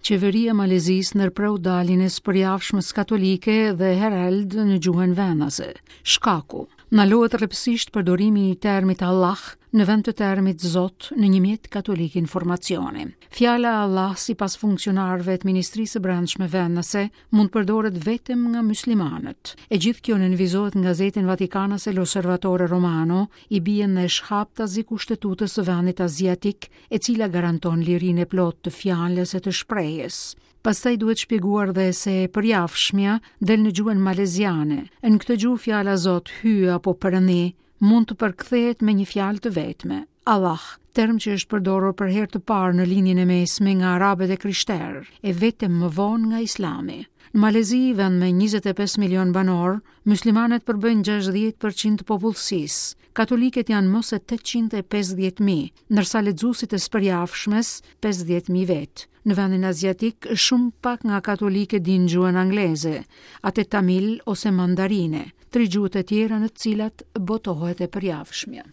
Qeveria e Malezisë ndërpreu daljen e së përjavshmes katolike The Herald në gjuhën vendase. Shkaku, ndalohet rreptësisht përdorimi i termit Allah në vend të termit Zot në një mjet katolik informacioni. Fjala Allah sipas funksionarëve të Ministrisë së Brendshme vendase mund të përdoret vetëm nga myslimanët. E gjithë kjo nënvizohet në gazetën vatikanase L'Osservatore Romano, i bie ndesh haptazi kushtetutës së vendit aziatik, e cila garanton lirinë e plotë të fjalës e të shprehjes. Pastaj duhet shpjeguar dhe se e përjavshmja del në gjuhën maleziane. Në këtë gjuhë fjala Zot, Hyj apo Perëndi mund të përkthehet me një fjalë të vetme, Allah, term që është përdorur për herë të parë në Lindjen e Mesme nga arabët e krishterë, e vetëm më vonë nga Islami. Në Malezi, vend me 25 milion banorë, myslimanët përbëjnë 60% të popullsisë. Katolikët janë më se 850.000, ndërsa lexuesit e së përjavshmes 50.000 vetë. Në vendin aziatik, shumë pak nga katolikët dinë gjuhën angleze, atë tamil ose mandarine, tri gjuhët e tjera në të cilat botohet e përjavshmja.